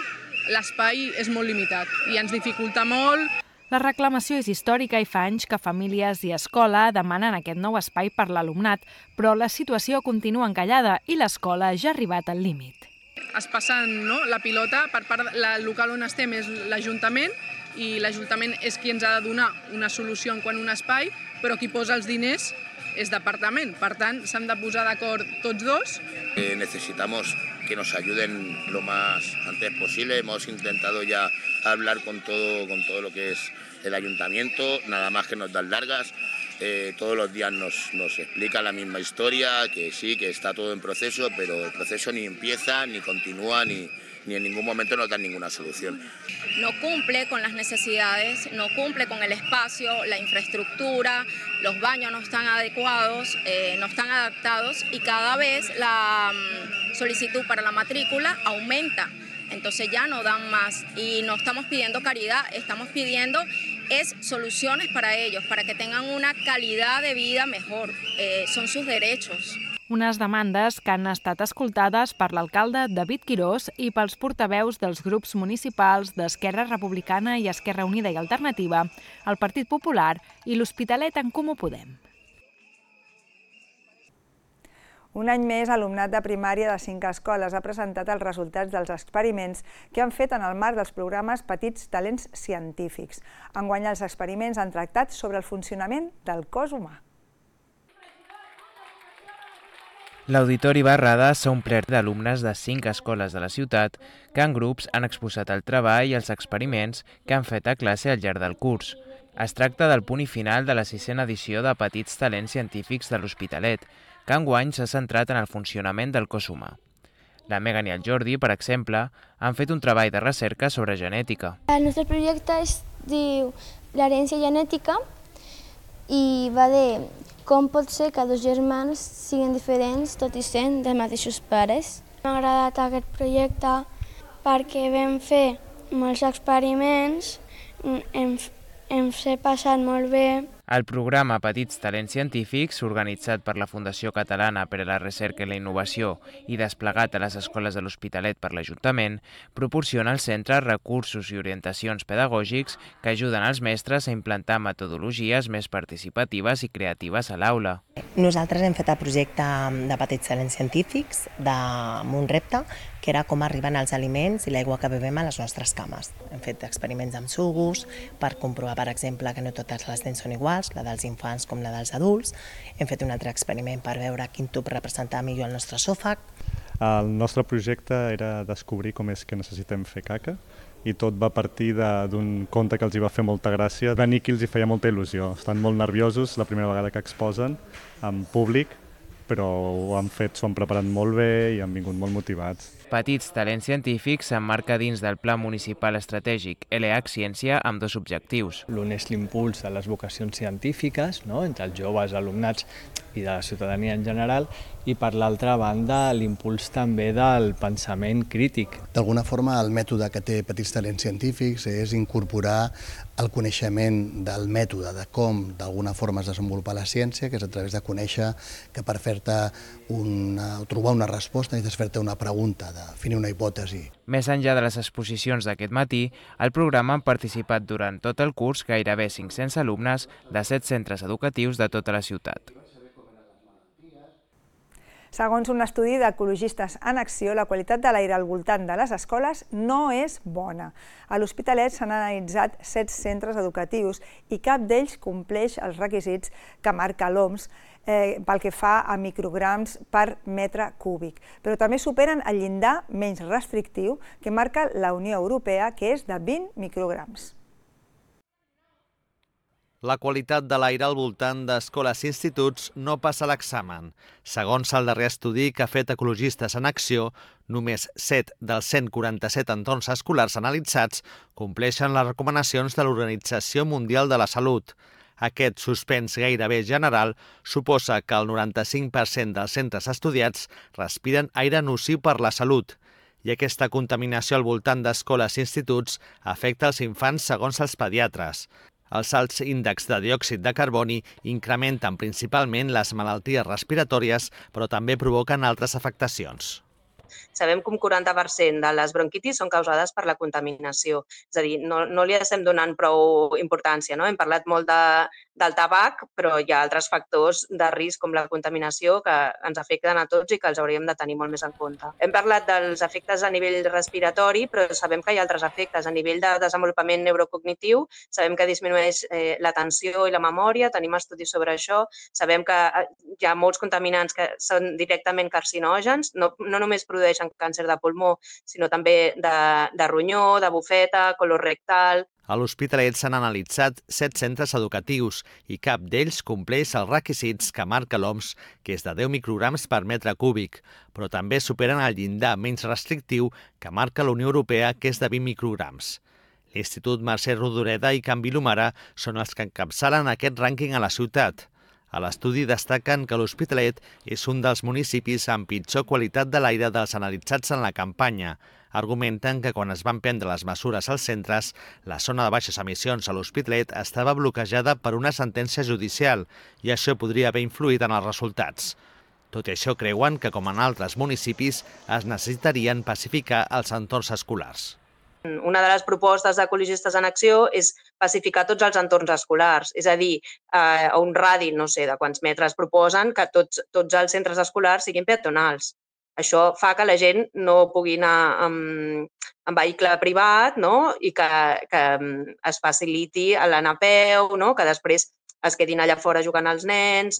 L'espai és molt limitat i ens dificulta molt. La reclamació és històrica i fa anys que famílies i escola demanen aquest nou espai per l'alumnat, però la situació continua encallada i l'escola ja ha arribat al límit. Es passen no, la pilota per part del local on estem és l'Ajuntament i l'Ajuntament és qui ens ha de donar una solució en quant a un espai, però qui posa els diners és departament. Per tant, s'han de posar d'acord tots dos. Eh, necesitamos que nos ayuden lo más antes posible. Hemos intentado ya hablar con todo, con todo lo que es el ayuntamiento, nada más que nos dan largas. Eh, todos los días nos, nos explica la misma historia, que sí, que está todo en proceso, pero el proceso ni empieza, ni continúa, ni, ni en ningún momento nos dan ninguna solución. No cumple con las necesidades, no cumple con el espacio, la infraestructura, los baños no están adecuados, eh, no están adaptados y cada vez la um, solicitud para la matrícula aumenta. Entonces ya no dan más y no estamos pidiendo caridad, estamos pidiendo es soluciones para ellos, para que tengan una calidad de vida mejor. Eh, son sus derechos. Unes demandes que han estat escoltades per l'alcalde David Quirós i pels portaveus dels grups municipals d'Esquerra Republicana i Esquerra Unida i Alternativa, el Partit Popular i l'Hospitalet en Comú Podem. Un any més, alumnat de primària de cinc escoles ha presentat els resultats dels experiments que han fet en el marc dels programes Petits Talents Científics. Enguany els experiments han tractat sobre el funcionament del cos humà. L'Auditori Barrada s'ha omplert d'alumnes de cinc escoles de la ciutat que en grups han exposat el treball i els experiments que han fet a classe al llarg del curs. Es tracta del punt i final de la sisena edició de Petits Talents Científics de l'Hospitalet, que enguany s'ha centrat en el funcionament del cos humà. La Megan i el Jordi, per exemple, han fet un treball de recerca sobre genètica. El nostre projecte es diu l'herència genètica i va de com pot ser que dos germans siguin diferents tot i sent dels mateixos pares. M'ha agradat aquest projecte perquè vam fer molts experiments, hem, hem passat molt bé. El programa Petits Talents Científics, organitzat per la Fundació Catalana per a la Recerca i la Innovació i desplegat a les escoles de l'Hospitalet per l'Ajuntament, proporciona al centre recursos i orientacions pedagògics que ajuden als mestres a implantar metodologies més participatives i creatives a l'aula. Nosaltres hem fet el projecte de Petits Talents Científics amb un repte que era com arriben els aliments i l'aigua que bevem a les nostres cames. Hem fet experiments amb sucs per comprovar, per exemple, que no totes les dents són iguals, la dels infants com la dels adults. Hem fet un altre experiment per veure quin tub representava millor el nostre esòfag. El nostre projecte era descobrir com és que necessitem fer caca i tot va partir d'un conte que els hi va fer molta gràcia. Venir aquí els hi feia molta il·lusió. Estan molt nerviosos la primera vegada que exposen en públic, però ho han fet, s'ho han preparat molt bé i han vingut molt motivats. Petits Talents Científics s'emmarca dins del Pla Municipal Estratègic L H Ciència amb dos objectius. L'un és l'impuls de les vocacions científiques, no?, entre els joves, alumnats i de la ciutadania en general, i per l'altra banda l'impuls també del pensament crític. D'alguna forma el mètode que té Petits Talents Científics és incorporar el coneixement del mètode, de com d'alguna forma es desenvolupa la ciència, que és a través de conèixer que per fer-te una, trobar una resposta necessites fer-te una pregunta, definir una hipòtesi. Més enllà de les exposicions d'aquest matí, al programa han participat durant tot el curs gairebé cinc-cents alumnes de set centres educatius de tota la ciutat. Segons un estudi d'Ecologistes en Acció, la qualitat de l'aire al voltant de les escoles no és bona. A l'Hospitalet s'han analitzat set centres educatius i cap d'ells compleix els requisits que marca l'O M S eh, pel que fa a micrograms per metre cúbic, però també superen el llindar menys restrictiu que marca la Unió Europea, que és de vint micrograms. La qualitat de l'aire al voltant d'escoles i instituts no passa l'examen. Segons el darrer estudi que ha fet Ecologistes en Acció, només set dels cent quaranta-set entorns escolars analitzats compleixen les recomanacions de l'Organització Mundial de la Salut. Aquest suspens gairebé general suposa que el noranta-cinc per cent dels centres estudiats respiren aire nociu per la salut. I aquesta contaminació al voltant d'escoles i instituts afecta els infants segons els pediatres. Els alts índexs de diòxid de carboni incrementen principalment les malalties respiratòries, però també provoquen altres afectacions. Sabem que un quaranta per cent de les bronquitis són causades per la contaminació. És a dir, no, no li estem donant prou importància, no? Hem parlat molt de, del tabac, però hi ha altres factors de risc com la contaminació que ens afecten a tots i que els hauríem de tenir molt més en compte. Hem parlat dels efectes a nivell respiratori, però sabem que hi ha altres efectes. A nivell de desenvolupament neurocognitiu, sabem que disminueix eh, l'atenció i la memòria, tenim estudis sobre això, sabem que hi ha molts contaminants que són directament carcinògens, no, no només produeixen càncer de pulmó, sinó també de, de ronyó, de bufeta, colorectal. A l'Hospitalet s'han analitzat set centres educatius i cap d'ells compleix els requisits que marca l'O M S, que és de deu micrograms per metre cúbic, però també superen el llindar menys restrictiu que marca la Unió Europea, que és de vint micrograms. L'Institut Mercè Rodoreda i Can Vilomara són els que encapçalen aquest rànquing a la ciutat. A l'estudi destaquen que l'Hospitalet és un dels municipis amb pitjor qualitat de l'aire dels analitzats en la campanya. Argumenten que quan es van prendre les mesures als centres, la zona de baixes emissions a l'Hospitalet estava bloquejada per una sentència judicial i això podria haver influït en els resultats. Tot i això, creuen que, com en altres municipis, es necessitarien pacificar els entorns escolars. Una de les propostes d'Ecologistes en Acció és pacificar tots els entorns escolars, és a dir, a un radi, no sé, de quants metres proposen que tots, tots els centres escolars siguin peatonals. Això fa que la gent no pugui anar amb, amb vehicle privat, no? I que, que es faciliti l'anar a peu, no? Que després es quedin allà fora jugant els nens.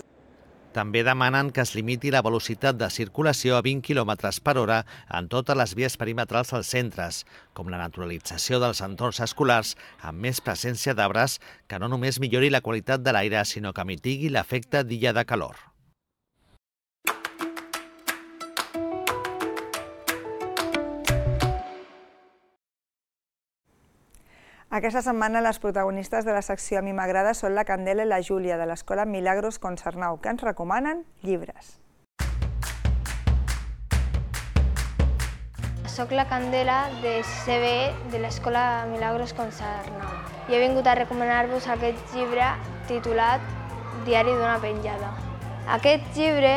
També demanen que es limiti la velocitat de circulació a vint quilòmetres per hora en totes les vies perimetrals dels centres, com la naturalització dels entorns escolars amb més presència d'arbres que no només millori la qualitat de l'aire, sinó que mitigui l'efecte d'illa de calor. Aquesta setmana les protagonistes de la secció A mi m'agrada són la Candela i la Júlia de l'Escola Milagros Concernau, que ens recomanen llibres. Soc la Candela de C B de l'Escola Milagros Concernau i he vingut a recomanar-vos aquest llibre titulat Diari d'una penjada. Aquest llibre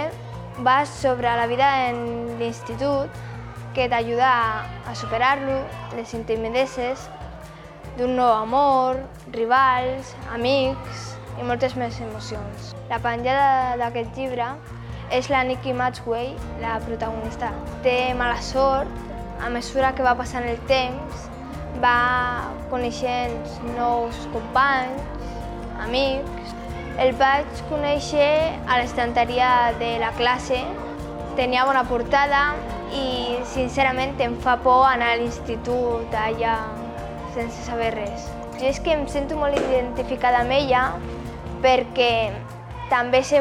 va sobre la vida en l'institut que t'ajuda a superar-lo, les intimideces, d'un nou amor, rivals, amics i moltes més emocions. La penjada d'aquest llibre és la Nikki Maxwell, la protagonista. Té mala sort, a mesura que va passant el temps, va coneixent nous companys, amics. El vaig conèixer a l'estanteria de la classe, tenia bona portada i sincerament em fa por anar a l'institut allà sense saber res. Jo és que em sento molt identificada amb ella perquè també sé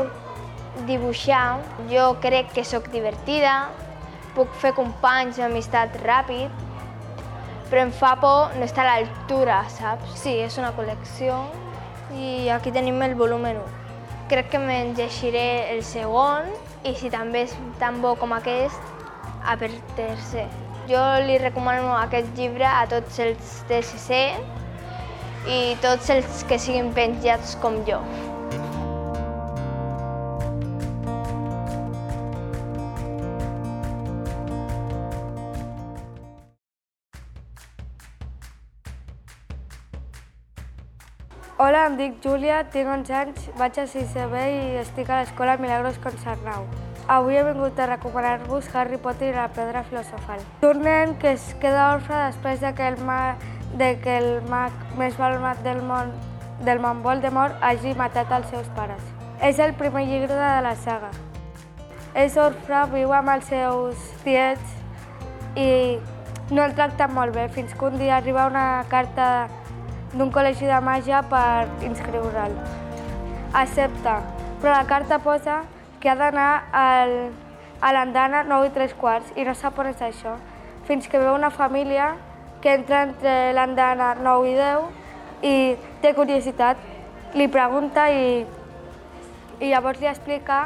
dibuixar. Jo crec que sóc divertida, puc fer companys i amistat ràpid, però em fa por no estar a l'altura, saps? Sí, és una col·lecció i aquí tenim el volumen u. Crec que me'n llegiré el segon i si també és tan bo com aquest, a per tercer. Jo li recomano aquest llibre a tots els de sisè i tots els que siguin penjats com jo. Hola, em dic Júlia, tinc onze anys, vaig a sisè B i estic a l'Escola Milagros Concernau. Avui he vingut a recomanar-vos Harry Potter i la pedra filosofal. Un nen que es queda orfe després de que el mag, de que el mag més malvat del món, del món Voldemort hagi matat els seus pares. És el primer llibre de la saga. És orfe, viu amb els seus tiets i no el tracten molt bé, fins que un dia arriba una carta d'un col·legi de màgia per inscriure'l. Accepta, però la carta posa que ha d'anar a l'andana nou i tres quarts i no sap on és això, fins que veu una família que entra entre l'andana nou i deu i té curiositat, li pregunta i, i llavors li explica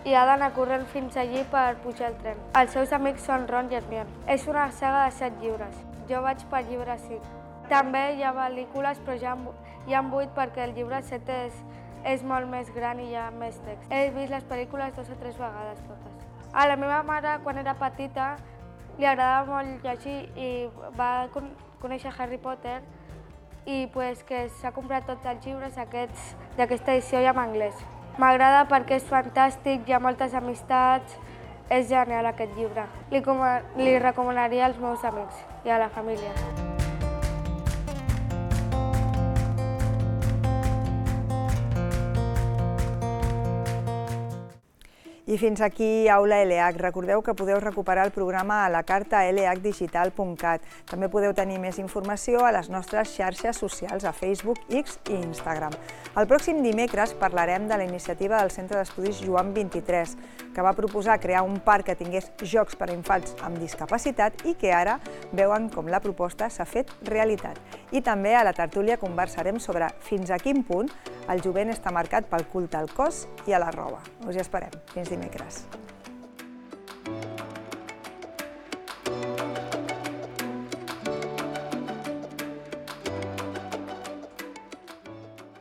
i ha d'anar corrent fins allí per pujar al tren. Els seus amics són Ron i Hermione. És una saga de set llibres. Jo vaig per llibre cinc. També hi ha pel·lícules, però ja hi ha vuit perquè el llibre set és és molt més gran i hi ha més text. He vist les pel·lícules dos o tres vegades totes. A la meva mare, quan era petita, li agradava molt llegir i va conèixer Harry Potter i pues, que s'ha comprat tots els llibres aquests d'aquesta edició i en anglès. M'agrada perquè és fantàstic, hi ha moltes amistats, és genial aquest llibre. Li, li recomanaria als meus amics i a la família. I fins aquí Aula L H. Recordeu que podeu recuperar el programa a la carta l h digital punt cat. També podeu tenir més informació a les nostres xarxes socials, a Facebook, X i Instagram. El pròxim dimecres parlarem de la iniciativa del Centre d'Estudis Joan vint-i-tres, que va proposar crear un parc que tingués jocs per a infants amb discapacitat i que ara veuen com la proposta s'ha fet realitat. I també a la tertúlia conversarem sobre fins a quin punt el jovent està marcat pel culte al cos i a la roba. Us hi esperem. Fins dimecres.